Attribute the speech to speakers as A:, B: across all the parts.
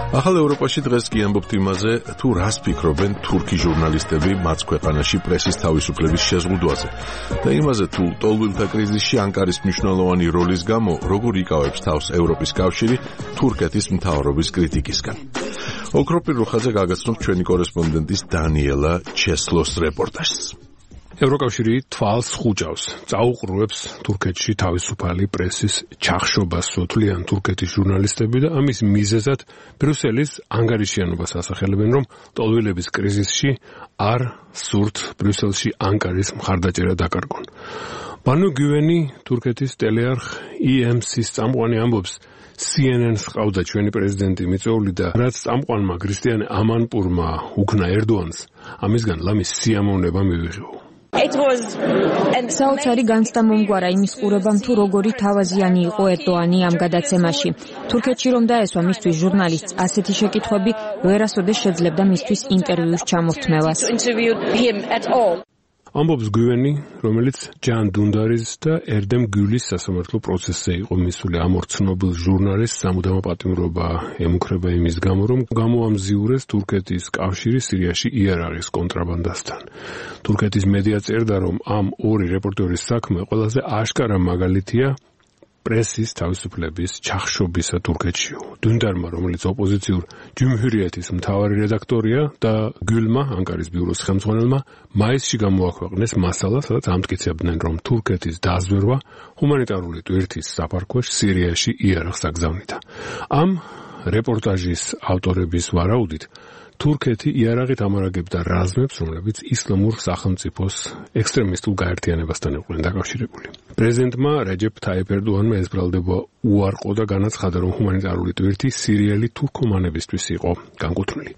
A: ახალ ევროპაში დღეს კი ამბობთ იმაზე, თუ რას ფიქრობენ თურქი ჟურნალისტები მათ ქვეყანაში პრესის თავისუფლების შეზღუდვაზე და იმაზე, თუ ტოლვილთა კრიზისში ანკარის მნიშვნელოვანი როლის გამო როგორ იკავებს თავს ევროპის კავშირი თურქეთის მთავრობის კრიტიკისგან. ოქროპირ რუხაძე გაგაცნობთ ჩვენი კორესპონდენტის დანიელა ჩესლოს რეპორტაჟს.
B: ევროკავშირი თვალს ხუჭავს, წაუყრუებს თურქეთში თავისუფალი პრესის ჩახშობას სოთლიან თურქეთის ჟურნალისტები და ამის მიზეზად ბრიუსელის ანგარიშიანობას ასახელებენ, რომ ტოლვილების კრიზისში არ სურთ ბრიუსელში ანკარის მხარდაჭერა დაკარგონ. ბანუ გივენი თურქეთის ტელეარხ EMC-ის წამყვანი ამბობს, CNN-ს ყავდა ჩვენი პრეზიდენტი მიწვეული და რაც წამყვანმა ქრისტიანე ამანპურმა უქნა ერდოანს, ამისგან ლამის სიამოვნება მივიღო.
C: საოცარი განცდა მომგვარა იმის ყურებამ, თუ როგორი თავაზიანი იყო ერდოანი ამ გადაცემაში. თურქეთში რომ დაესვა მისთვის ჟურნალისტს ასეთი შეკითხვები, ვერასოდეს შეძლებდა მისთვის ინტერვიუს ჩამორთმევას.
B: ამბობს გივენი, რომელიც ჯან დუნდარის და ერდემ გულის სასამართლო პროცესზე იყო მისული. ამ ორ ცნობილ ჟურნალისტს სამუდამო პატიმრობა ემუქრება იმის გამო, რომ გამოამზიურეს თურქეთის კავშირი სირიაში იარაღის კონტრაბანდასთან. თურქეთის მედია წერდა, რომ ამ ორი რეპორტერის საქმე ყველაზე აშკარა მაგალითია პრესის თავისუფლების ჩახშობისა თურქეთში. დუნდარმა, რომელიც ოპოზიციურ ჯუმჰურიეთის მთავარი რედაქტორია და გულმა, ანკარის ბიუროს ხელმძღვანელმა, მაისში გამოაქვეყნეს მასალა, სადაც ამტკიცებდნენ, რომ თურქეთის დაზვერვა ჰუმანიტარული ტვირთის საფარქვეშ სირიაში იარაღს აგზავნიდა. ამ რეპორტაჟის ავტორების ვარაუდით, თურქეთი იარაღით ამარაგებდა რაზმებს, რომლებიც ისლამურ სახელმწიფოს ექსტრემისტულ გაერთიანებასთან იყვნენ დაკავშირებული. პრეზიდენტმა რეჯეპ თაიფ ერდოანმა ეს ბრალდება უარყო და განაცხადა, რომ ჰუმანიტარული ტვირთი სირიელი თურქომანებისთვის იყო განკუთვნილი.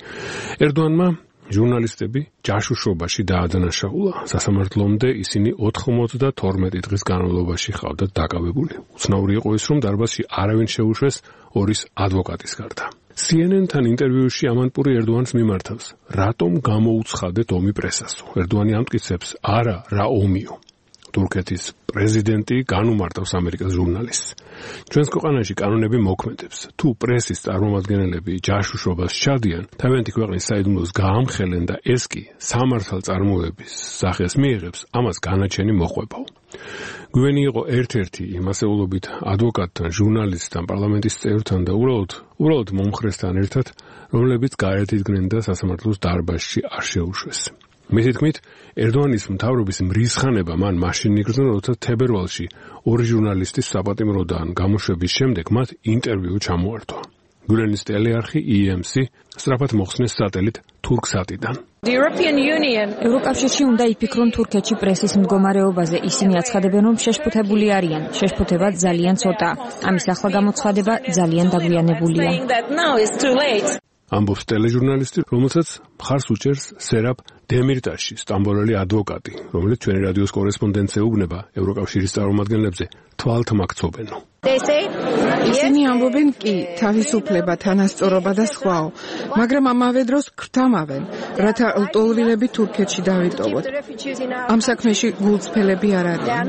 B: ერდოანმა ჟურნალისტები ჯაშუშობაში დაადანაშაულა. სასამართლომდე ისინი 92 დღის განმავლობაში ჰყავდათ დაკავებული. უცნაური იყო ის, რომ დარბაზში არავინ შეუშვეს ორის ადვოკატის გარდა. CNN-თან ინტერვიუში ამანპური ერდოანს მიმართავს, რატომ გამოუცხადეთ ომი პრესასო. ერდოანი ამტკიცებს, არა, რა ომიო. თურქეთის პრეზიდენტი განუმარტავს ამერიკას ჟურნალისტს. ჩვენს ქვეყანაში კანონები მოქმედებს. თუ პრესის წარმომადგენლები ჯაშუშობას ჩადიან, თავიანთი ქვეყნის საიდუმლოს გაამხელენ და ეს კი სამართალწარმოების სახეს მიიღებს, ამას განაჩენი მოყვებაო. გვენი იყო ერთ-ერთი იმ ასეულობით ადვოკატთან, ჟურნალისტთან, პარლამენტის წევრთან და უბრალოდ მომხრესთან ერთად, რომლებიც გარეთ იდგნენ და სასამართლოს დარბაზში არ შეუშვეს. მისი თქმით, ერდოანის მთავრობის მრისხანება მან მაშინ იგრძნო, როცა თებერვალში ორი ჟურნალისტის საპატიმროდან გამოშვების შემდეგ მათ ინტერვიუ ჩამოართვა. გულენის ტელეარხი EMC სწრაფად მოხსნეს სატელით თურქსატიდან.
C: ევროკავშირში უნდა იფიქრონ თურქეთში პრესის მდგომარეობაზე. ისინი აცხადებენ, რომ შეშფოთებული არიან. შეშფოთება ძალიან ცოტაა. ამის ახლა გამოცხადება ძალიან დაგვიანებულია.
B: ამბობს ტელეჟურნალისტი, რომელსაც მხარს უჭერს სერაპ დემირტაში, სტამბოლელი ადვოკატი, რომელიც ჩვენი რადიოს კორესპონდენტს ეუბნება ევროკავშირის წარმომადგენლებზე თვალთმაქცობენო.
D: ისინი ამბობენ კი, თავისუფლება, თანასწორობა და სხვაო, მაგრამ ამავე დროს გრთამავენ, რათა ლტოლვილები თურქეთში დავიტოვოთ. ამ საქმეში გულწრფელები არ არიან.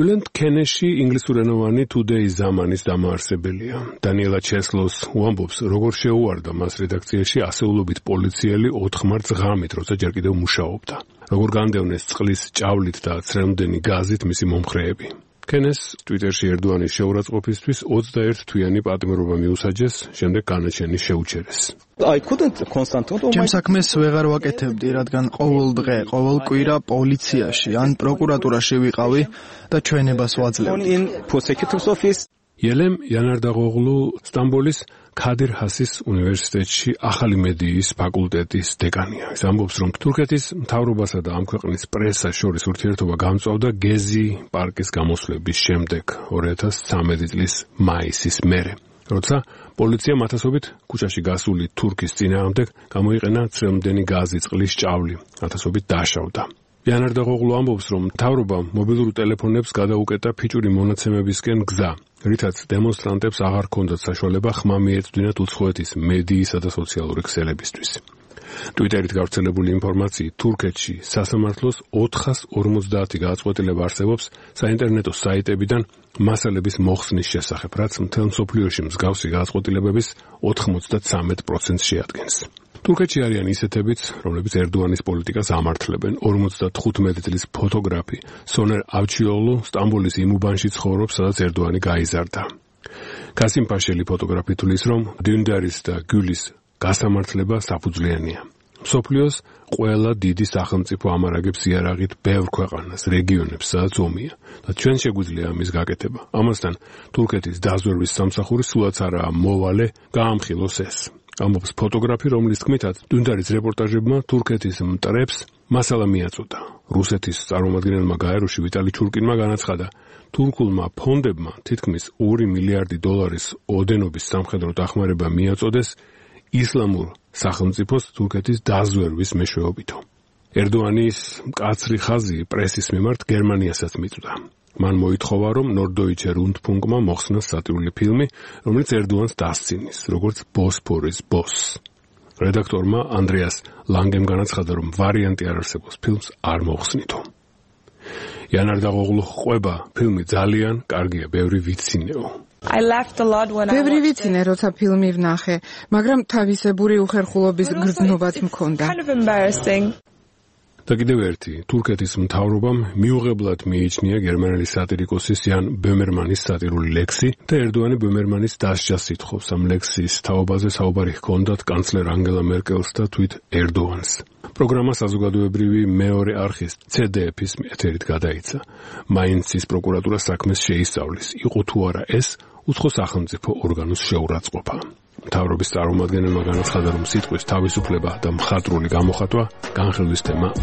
B: ბილენდ კენეში ინგლისურენოვანი Today ზამანის დამაარსებელია. დანიელა ჩესლოს უამბობს, როგორ შეუვარდა მას რედაქციაში ასეულობით პოლიციელი 4 მარტს ღამით, როცა ჯერ კიდევ მუშაობდა. როგორ განდევნეს წყლის ჭავლით და ცრემლდენი გაზით მისი მომხრეები. კენეს ტვიტერში ერდოანის შეურაცხყოფისთვის 21 თვიანი პატიმრობა მიუსაჯეს, შემდეგ განაჩენი შეუჩერეს.
E: ჩემ საქმეს ვეღარ ვაკეთებდი, რადგან ყოველ დღე, ყოველ კვირა პოლიციაში ან პროკურატურაში ვიყავი და ჩვენებას ვაძლევდი.
B: ელემ იანარდაღოღლუ სტამბოლის ქადირ ჰასის უნივერსიტეტში ახალი მედიის ფაკულტეტის დეკანია. ის ამბობს, რომ თურქეთის მთავრობასა და ამ ქვეყნის პრესას შორის ურთიერთობა გამწვავდა გეზი პარკის გამოსვლების შემდეგ 2013 წლის მაისის მერე, როცა პოლიციამ ათასობით ქუჩაში გასული თურქის წინააღმდეგ გამოიყენა ცრემლდენი გაზი, წყლის ჭავლი, ათასობით დაშავდა. იანარდაღოღლუ ამბობს, რომ მთავრობამ მობილურ ტელეფონებს გადაუკეტა ფიჭური მონაცემებისკენ გზა, რითაც დემონსტრანტებს აღარ ჰქონდათ საშუალება ხმა მიეწვდინათ უცხოეთის მედიისა და სოციალური ქსელებისთვის. ტვიტერით გავრცელებული ინფორმაციით, თურქეთში სასამართლოს 450 გადაწყვეტილება არსებობს საინტერნეტო საიტებიდან მასალების მოხსნის შესახებ, რაც მთელ მსოფლიოში მსგავსი გადაწყვეტილებების 93% შეადგენს. თურქეთში არიან ისეთებიც, რომლებიც ერდოანის პოლიტიკას ამართლებენ. 55 წლის ფოტოგრაფი სონერ ავჩიოლუ სტამბოლის იმ უბანში ცხოვრობს, სადაც ერდოანი გაიზარდა. კასიმ პაშელი ფოტოგრაფი თulis, რომ დუნდარის და გულის გასამართლება საფუძვლიანია. მსოფლიოს ყველა დიდი სახელმწიფო ამარაგებს იარაღით ბევრ ქვეყანას, რეგიონებს, სადაც ომია და ჩვენ შეგვიძლია ამის გაკეთება. ამასთან თურქეთის დაზვერვის სამსახური სულაც არაა მოვალე გაამხილოს ეს. ამბობს ფოტოგრაფი, რომლის თქმითაც დუნდარის რეპორტაჟებმა თურქეთის მტრებს მასალა მიაწოდა. რუსეთის წარმომადგენელმა გაეროში ვიტალი ჩურკინმა განაცხადა, თურქულმა ფონდებმა თითქმის 2 მილიარდი დოლარის ოდენობის სამხედრო დახმარება მიაწოდეს ისლამურ სახელმწიფოს თურქეთის დაზვერვის მეშვეობითო. ერდოანის მკაცრი ხაზი პრესის მიმართ გერმანიასაც მიწვდა. მან მოითხოვა, რომ Norddeutsche Rundfunkმა მოხსნას სატირული ფილმი, რომელიც ერდოანს დასცინის, როგორც ბოსფორის ბოსს. რედაქტორმა ანდრეას ლანგემ განაცხადა, რომ ვარიანტი არ არსებობს, ფილმს არ მოხსნითო. იანარ დაღოღლუ ყვება, ფილმი ძალიან კარგია, ბევრი ვიცინეო.
D: ბევრი ვიცინე, როცა ფილმი ვნახე, მაგრამ თავისებური უხერხულობის გრძნობაც მქონდა.
B: და კიდევ ერთი, თურქეთის მთავრობამ მიუღებლად მიიჩნია გერმანელი სატირიკოსის იან ბემერმანის სატირული ლექსი და ერდოანი ბემერმანის დასჯას ითხოვს. ამ ლექსის თაობაზე საუბარი ჰქონდათ კანცლერ ანგელა მერკელს და თვით ერდოანს. პროგრამა საზოგადოებრივი მეორე არხის CDF-ის ეთერით გადაიცა. მაინცის პროკურატურა საქმეს შეისწავლის, იყო თუ არა ეს უცხო სახელმწიფო ორგანოს შეურაცხყოფა. მთავრობის წარმომადგენელმა განაცხადა, რომ სიტყვის თავისუფლება და მხატვრული გამოხატვა განხილვის თემა